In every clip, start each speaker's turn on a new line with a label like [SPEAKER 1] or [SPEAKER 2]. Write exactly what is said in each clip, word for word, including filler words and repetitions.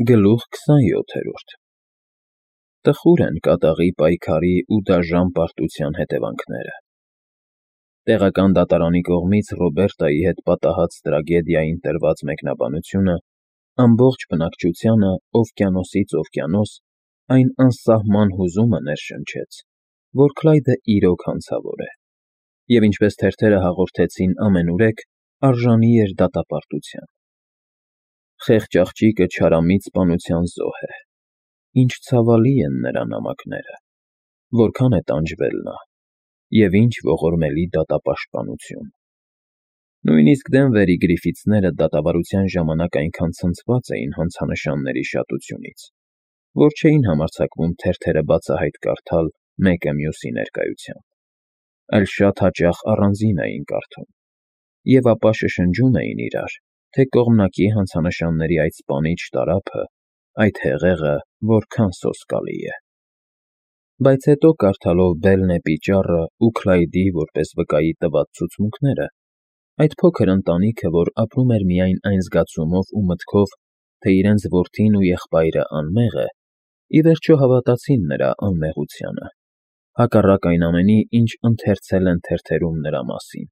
[SPEAKER 1] Գլուխ քսանյոթերորդ Տխուր են կատաղի պայքարի ու դաժան պարտության հետևանքները։ Տեղական դատարանի կողմից Ռոբերտայի հետ պատահած տրագեդիային տրված մեկնաբանությունը ամբողջ բնակչությանը օվկիանոսից օվկիանոս այն անսահման հուզումը ներշնչեց, որ Քլայդը իրոք հանցավոր է, և ինչպես թերթերը հաղորդեցին ամենուրեք, արժանի էր դատապարտության։ Խեղճ աղջիկը չարամիտ սպանության զոհ է, ինչ ցավալի են նրա նամակները, որքան է տանջվել նա, և ինչ ողորմելի դատապաշտպանություն։ Նույնիսկ Դենվերի Գրիֆիթսները դատավարության ժամանակ այնքան ցնցված էին հանցանշանների շատությունից, որ չէին համարձակվում թերթերը բացահայտ կարդալ մեկը մյուսի ներկայությամբ, այլ շատ հաճախ առանձին էին կարդում, և ապա շշնջում էին իրար, թե կողմնակի հանցանշանների այդ սպանիչ տարափը, այդ հեղեղը որքան սոսկալի է։ Բայց հետո կարդալով Բելնեպի ճառը ու Քլայդի որպես վկայի տված ցուցմունքները, այդ փոքր ընտանիքը, որ ապրում էր միայն այն զգացումով ու մտքով, թե իրենց որդին ու եղբայրը անմեղ է, ի վերջո հավատացին նրա անմեղությանը, հակառակ այն ամենի, ինչ ընթերցել են թերթերում նրա մասին։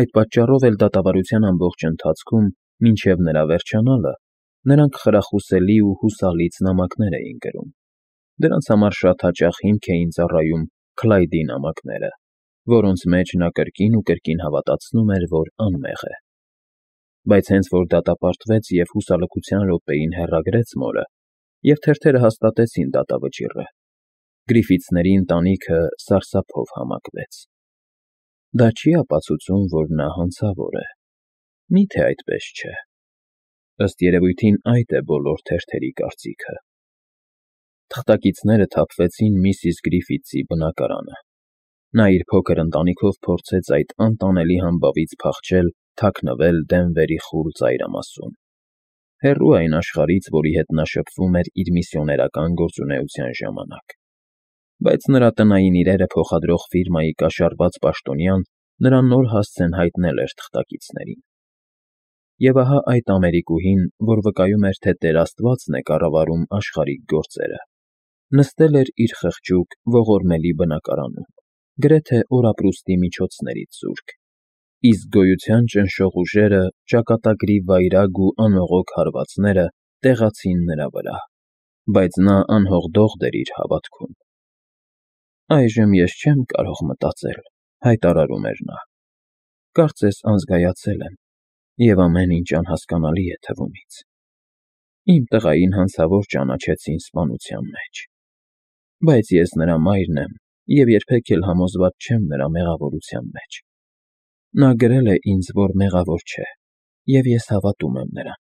[SPEAKER 1] Այդ պատճառով էլ դատավարության ամբողջ ընթացքում, մինչև նրա վերջանալը, նրանք խրախուսելի ու հուսալից նամակներ էին գրում։ Դրանց համար շատ հաճախ հիմք էին ծառայում Քլայդի նամակները, որոնց մեջ նա կրկին ու կրկին հավատացնում էր, որ անմեղ է։ Բայց հենց որ դատապարտվեց և հուսալքության րոպեին հեռագրեց մորը, և թերթերը հաստատեցին դատավճիռը, Գրիֆիթսների ընտանիքը սարսափով համակվեց։ Դա չի՞ ապացուցում, որ նա հանցավոր է։ Մի՞թե այդպես չէ։ Ըստ երևույթին այդ է բոլոր թերթերի կարծիքը։ Թղթակիցները թափվեցին միսիս Գրիֆիթսի բնակարանը։ Նա իր փոքր ընտանիքով փորձեց այդ անտանելի համբավից փախչել, թաքնվել Դենվերի խուլ ծայրամասում, հեռու այն աշխարհից, որի հետ նա շփվում էր իր միսիոներական գործունեության ժամանակ։ Բայց նրա տնային իրերը փոխադրող ֆիրմայի կաշառված պաշտոնյան նրան նոր հասցեն հայտնել էր թղթակիցներին։ Եվ ահա այդ ամերիկուհին, որ վկայում էր, թե Տեր Աստվածն է կառավարում աշխարհիկ գործերը, նստել էր իր խղճուկ, ողորմելի բնակարանում, գրեթե օրապրուստի միջոցներից զուրկ, իսկ գոյության ճնշող ուժերը, ճակատագրի վայրագ ու անողոք հարվածները տեղացին նրա վրա, բայց նա անհողդողդ էր իր հավատքում։ «Այժմ ես չեմ կարող մտածել,֊ հայտարարում էր նա,֊ կարծես անզգայացել եմ, և ամեն ինչ անհասկանալի է թվում ինձ։ Իմ տղային հանցավոր ճանաչեցին սպանության մեջ, բայց ես նրա մայրն եմ և երբեք էլ համոզված չեմ նրա մեղավորության մեջ։ Նա գրել է ինձ, որ մեղավոր չէ, և ես հավատում եմ նրան։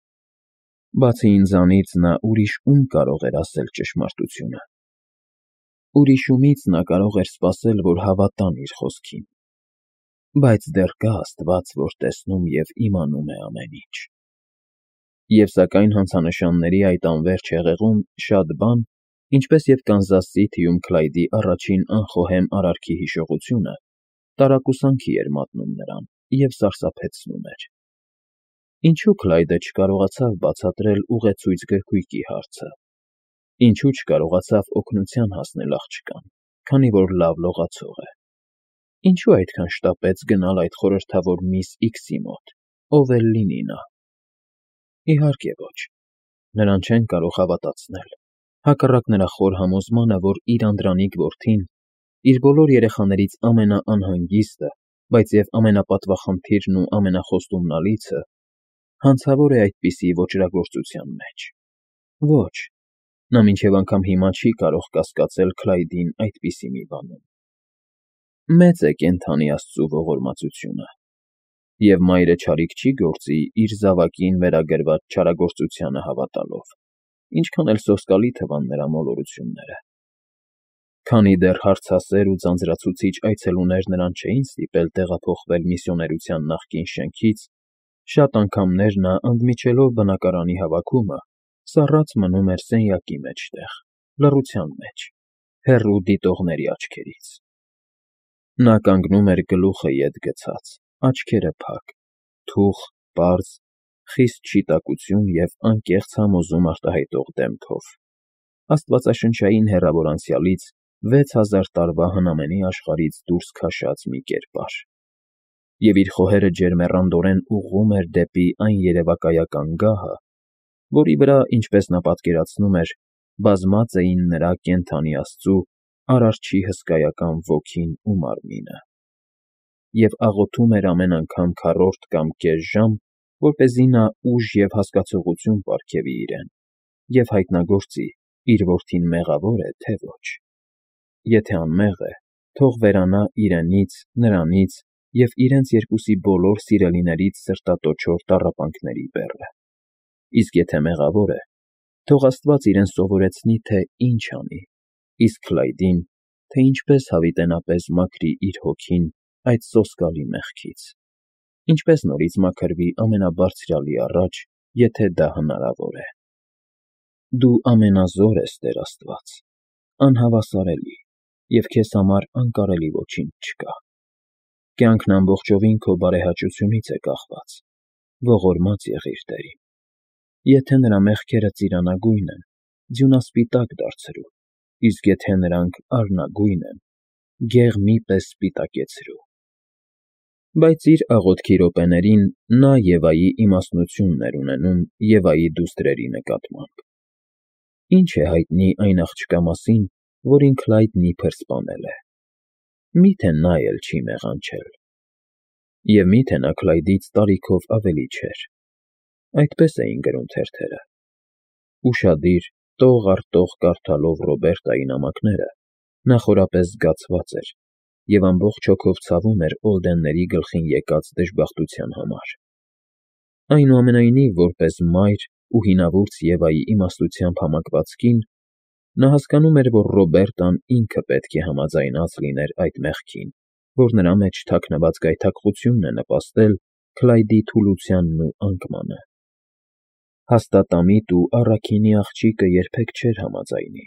[SPEAKER 1] Բացի ինձանից նա ուրիշ ում կարող էր ասել ճշմարտությունը։ Ուրիշ ումից նա կարող էր սպասել, որ հավատան իր խոսքին։ Բայց դեռ կա Աստված, որ տեսնում և իմանում է ամեն ինչ»։ Եվ սակայն հանցանշանների այդ անվերջ հեղեղում շատ բան, ինչպես և Կանզաս Սիթիում Քլայդի առաջին անխոհեմ արարքի հիշողությունը, տարակուսանքի էր մատնում նրան և սարսափեցնում էր։ Ինչո՞ւ Քլայդը չկարողացավ բացատրել ուղեցույց գրքույկի հարցը։ Ինչո՞ւ չկարողացավ օգնության հասնել աղջկան, քանի որ լավ լողացող է։ Ինչո՞ւ այդքան շտապեց գնալ այդ խորհրդավոր միս Իքսի մոտ, ով էլ լինի նա։ Իհարկե ոչ, նրան չեն կարող հավատացնել, հակառակ նրա խոր համոզմանը, որ իր անդրանիկ որդին, իր բոլոր երեխաներից ամենաանհանգիստը, բայց և ամենապատվախնդիրն ու ամենախոստումնալիցը, հանցավոր է այդպիսի ոճրագործության մեջ։ Ոչ, նա մինչև անգամ հիմա չի կարող կասկածել Քլայդին այդպիսի մի բանում։ Մեծ է կենդանի Աստծու ողորմածությունը, և մայրը չարիք չի գործի իր զավակին վերագրված չարագործությանը հավատալով, ինչքան էլ սոսկալի թվան նրա մոլորությունները։ Քանի դեռ հարցասեր ու ձանձրացուցիչ այցելուներ նրան չէին ստիպել տեղափոխվել միսիոներության նախկին շենքից, շատ անգամներ նա, ընդմիջելով բնակարանի հավաքումը, սառած մնում էր սենյակի մեջտեղ, լռության մեջ, հեռու դիտողների աչքերից։ Նա կանգնում էր գլուխը ետ գցած, աչքերը փակ, թուխ, պարզ, խիստ շիտակություն և անկեղծ համոզում արտահայտող դեմքով, աստվածաշնչային հեռավոր անցյալից վեց հազար տարվա հնամենի աշխարհից դուրս քաշած մի կերպար, և իր խոհերը ջերմեռանդորեն ուղղում էր դեպի այն երևակայական գահը, որի վրա, ինչպես նա պատկերացնում էր, բազմած էին նրա կենդանի աստծու Արարչի հսկայական ոգին ու մարմինը, և աղոթում էր ամեն անգամ քառորդ կամ կես ժամ, որպեսզի նա ուժ և հասկացողություն պարգևի իրեն և հայտնագործի իր որդին մեղավո՞ր է, թե ոչ. եթե անմեղ է, թող վերանա իրենից, նրանից և իրենց երկուսի բոլոր սիրելիներից սրտատոչող տառապանքների բեռը, իսկ եթե մեղավոր է, թող Աստված իրեն սովորեցնի, թե ինչ անի, իսկ Քլայդին, թե ինչպես հավիտենապես մաքրի իր հոգին այդ սոսկալի մեղքից, ինչպես նորից մաքրվի Ամենաբարձրյալի առաջ, եթե դա հնարավոր է։ Դու ամենազոր ես, Տեր Աստված, անհավասարելի, և քեզ համար անկարելի ոչինչ չկա։ Կյանքն ամբողջովին քո բարեհաճությունից է կախված, ողորմած եղիր, Տեր իմ։ Եթե նրա մեղքերը ծիրանագույն են, ձյունասպիտակ դարձրու, իսկ եթե նրանք արնագույն են, գեղմի պես սպիտակեցրու։ Բայց իր աղոթքի րոպեներին նա Եվայի իմաստնությունն էր ունենում Եվայի դուստրերի նկատմամբ. Ի՞նչ է հայտնի այն աղջկա մասին, որին Քլայդն իբր սպանել է, մի՞թե նա էլ չի մեղանչել։ Եվ մի՞թե նա Քլայդից տարիքով ավելի չէր։ Այդպես էին գրում թերթերը։ Ուշադիր, տող առ տող կարդալով Ռոբերտայի նամակները, նա խորապես զգացված էր և ամբողջ հոգով ցավում էր Օլդենների գլխին եկած դժբախտության համար։ Այնուամենայնիվ, որպես մայր ու հինավուրց Եվայի իմաստությամբ համակված կին, նա հասկանում էր, որ Ռոբերտան ինքը պետք է համաձայնած լիներ այդ մեղքին, որ նրա մեջ թաքնված գայթակղությունն է նպաստել Քլայդի թուլությանն ու անկմանը։ Հաստատամիտ ու առաքինի աղջիկը երբեք չէր համաձայնի,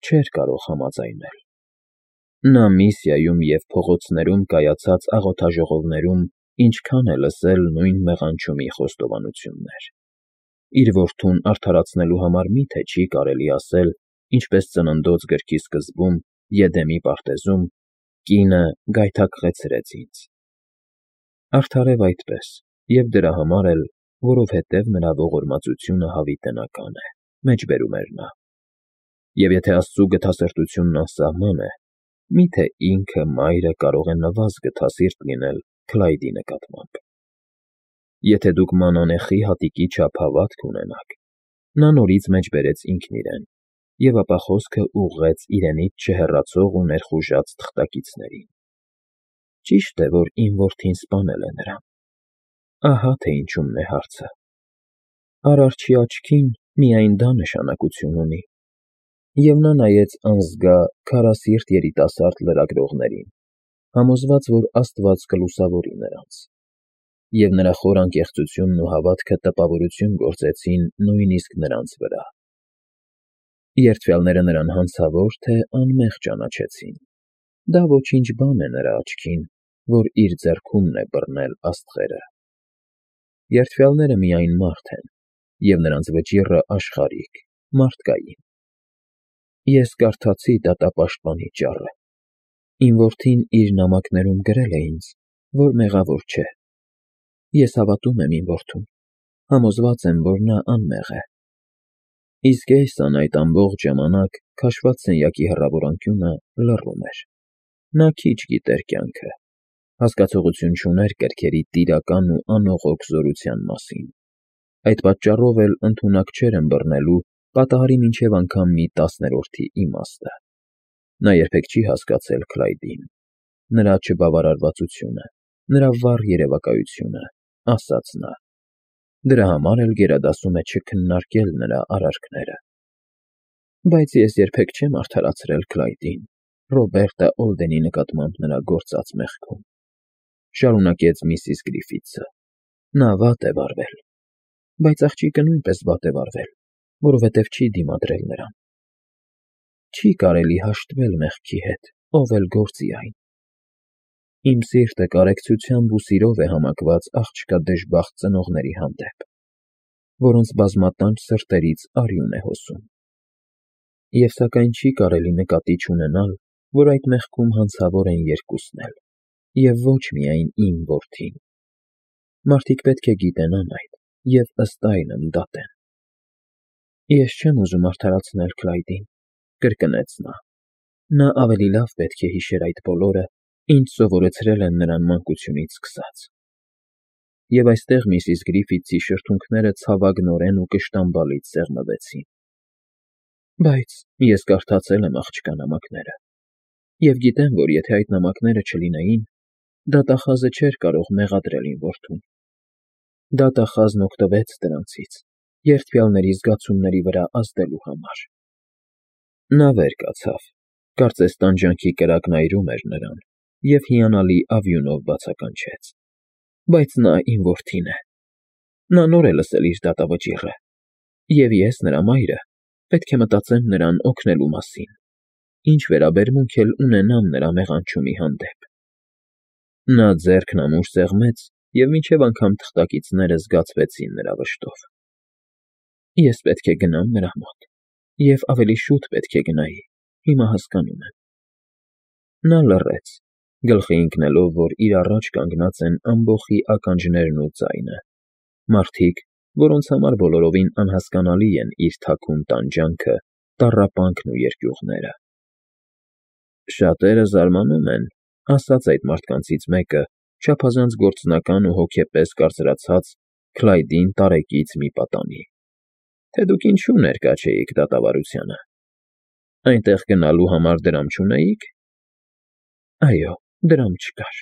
[SPEAKER 1] չէր կարող համաձայնել։ Նա Միսիայում և փողոցներում կայացած աղոթաժողովներում ինչքան է լսել նույն մեղանչումի խոստովանություններ։ Իր որդուն արդարացնելու համար մի՞թե չի կարելի ասել, ինչպես Ծննդոց գրքի սկզբում, Եդեմի պարտեզում. «Կինը գայթակղեցրեց ինձ»։ Արդարև այդպես, և դրա համար էլ, որովհետև նրա ողորմածությունը հավիտենական է, մեջբերում էր նա։ Եվ եթե Աստծու գթասրտությունն անսահման է, մի՞թե ինքը մայրը կարող է նվազ գթասիրտ լինել Քլայդի նկատմամբ։ Եթե դուք մանանեխի հատիկի չափ հավատք ունենաք, նա նորից մեջբերեց ինքն իրեն, և ապա խոսքը ուղղեց իրենից չհեռացող ու ներխուժած թղթակիցներին. Ճիշտ է, որ իմ որդին սպանել է նրան։ Ահա թե ինչումն է հարցը։ Արարչի աչքին միայն դա նշանակություն ունի։ Եվ նա նայեց անզգա, քարասիրտ երիտասարդ լրագրողներին, համոզված, որ Աստված կլուսավորի նրանց։ Եվ նրա խոր անկեղծությունն ու հավատքը տպավորություն գործեցին նույնիսկ նրանց վրա։ Երդվյալները նրան հանցավոր թե անմեղ ճանաչեցին։ Դա ոչինչ բան է նրա աչքին, որ իր ձեռքումն է բռնել աստղերը։ Երդվյալները միայն մարդ են, և նրանց վճիռը աշխարհիկ, մարդկային։ Ես կարդացի դատապաշտպանի ճառը։ Իմ որդին իր նամակներում գրել է ինձ, որ մեղավոր չէ։ Ես հավատում եմ իմ որդուն, համոզված եմ, որ նա անմեղ է։ Իսկ Էյսան այդ ամբողջ ժամանակ քաշված սենյակի հեռավոր անկյունը լռում էր։ Նա քիչ գիտեր կյանքը, հասկացողություն չուներ կրքերի տիրական ու անողոք զորության մասին, այդ պատճառով էլ ընդունակ չէր ըմբռնելու պատահարի մինչև անգամ մի տասներորդի իմաստը։ Նա երբեք չի հասկացել Քլայդին, նրա չբավարարվածությունը, նրա վառ երևակայությունը, ասաց նա։ Դրա համար էլ գերադասում է չքննարկել նրա արարքները։ Բայց ես երբեք չեմ արդարացրել Քլայդին, Ռոբերտը Օլդենի նկատմամբ նրա գործած մեղքում, շարունակեց միսիս Գրիֆիթսը։ Նա վատ է վարվել, բայց աղջիկը նույնպես վատ է վարվել, որովհետև չի դիմադրել նրան։ Չի կարելի հաշտվել մեղքի հետ, ով էլ գործի այն։ Իմ սիրտը կարեկցությամբ ու սիրով է համակված աղջկա դժբախտ ծնողների հանդեպ, որոնց բազմատանչ սրտերից արյուն է հոսում։ Եվ սակայն չի կարելի նկատի չունենալ, որ այդ մեղքում հանցավոր են երկուսն էլ, և ոչ միայն իմ որդին։ Մարդիկ պետք է գիտենան այդ և ըստ այլմ դատեն։ Ես չեմ ուզում արդարացնել Քլայդին, կրկնեց նա։ Նա ավելի լավ պետք է հիշեր այդ բոլորը, ինչ սովորեցրել են նրան մանկությունից սկսած։ Եվ այստեղ միսիս Գրիֆիթսի շրթունքները ցավագնորեն ու կշտամբալից սեղմվեցին։ Բայց ես կարդացել եմ աղջկա նամակները, և գիտեմ, որ եթե այդ նամակները չլինեին, դատախազը չէր կարող մեղադրել իմ որդուն։ Դատախազն օգտվեց դրանցից, երդվյալների զգացումների վրա ազդելու համար։ Նա վեր կացավ, կարծես տանջանքի կրակն այրում էր նրան, և հիանալի ավյունով բացականչեց. Բայց նա իմ որդին է։ Նա նոր է լսել իր դատավճիռը, և ես, նրա մայրը, պետք է մտածեմ նրան օգնելու մասին, ինչ վերաբերմունք էլ ունենամ նրա մեղանչումի հանդեպ։ Նա ձեռքն ամուր սեղմեց, և մինչև անգամ թղթակիցները զգացվեցին նրա վշտով։ Ես պետք է գնամ նրա մոտ, և ավելի շուտ պետք է գնայի, հիմա հասկանում եմ։ Նա լռեց, գլխի ընկնելով, որ իր առաջ կանգնած են ամբոխի ականջներն ու ձայնը, մարդիկ, որոնց համար բոլորովին անհասկանալի են իր թաքուն տանջանքը, տառապանքն ու երկյուղները։ Շատերը զարմանում են, ասաց այդ մարդկանցից մեկը, չափազանց գործնական ու հոգեպես կարծրացած Քլայդին տարեկից մի պատանի, թե դուք ինչու ներկա չէիք դատավարությանը։ Այնտեղ գնալու համար դրամ չունեի՞ք։ Այո, դրամ չկար,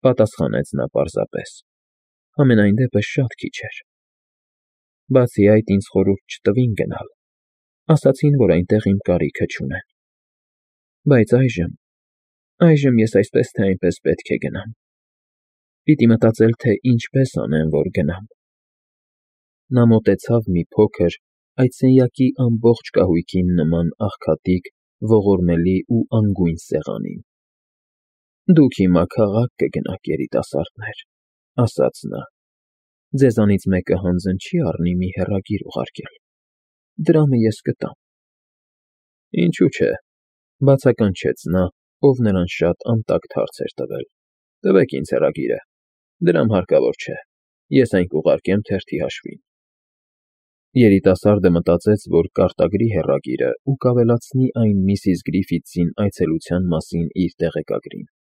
[SPEAKER 1] պատասխանեց նա պարզապես, համենայն դեպս շատ քիչ էր։ Բացի այդ, ինձ խորհուրդ չտվին գնալ, ասացին, որ այնտեղ իմ կարիքը չունեն։ Բայց այժմ, այժմ ես այսպես թե այնպես պետք է գնամ։ Պիտի մտածել, թե ինչպես անեմ, որ գնամ։ Նա մոտեցավ մի փոքր, այդ սենյակի ամբողջ կահույքին նման աղքատիկ, ողորմելի ու անգույն սեղանին։ Դուք հիմա քաղաք կգնաք, երիտասարդներ, ասաց նա։ Ձեզանից մեկը հանձն չի առնի մի հեռագիր ուղարկել։ Դրամը ես կտամ։ Ինչու՞ չէ, բացականչեց նա, ով նրան շատ անտակտ հարց էր տվել։ Տվեք ինձ հեռագիրը, դրամ հարկավոր չէ, ես այն կուղարկեմ թերթի հաշվին։ Երիտասարդը մտածեց, որ կարտագրի հեռագիրը ու կավելացնի այն միսիս Գրիֆիթսին այցելության մասին իր տեղեկագրին։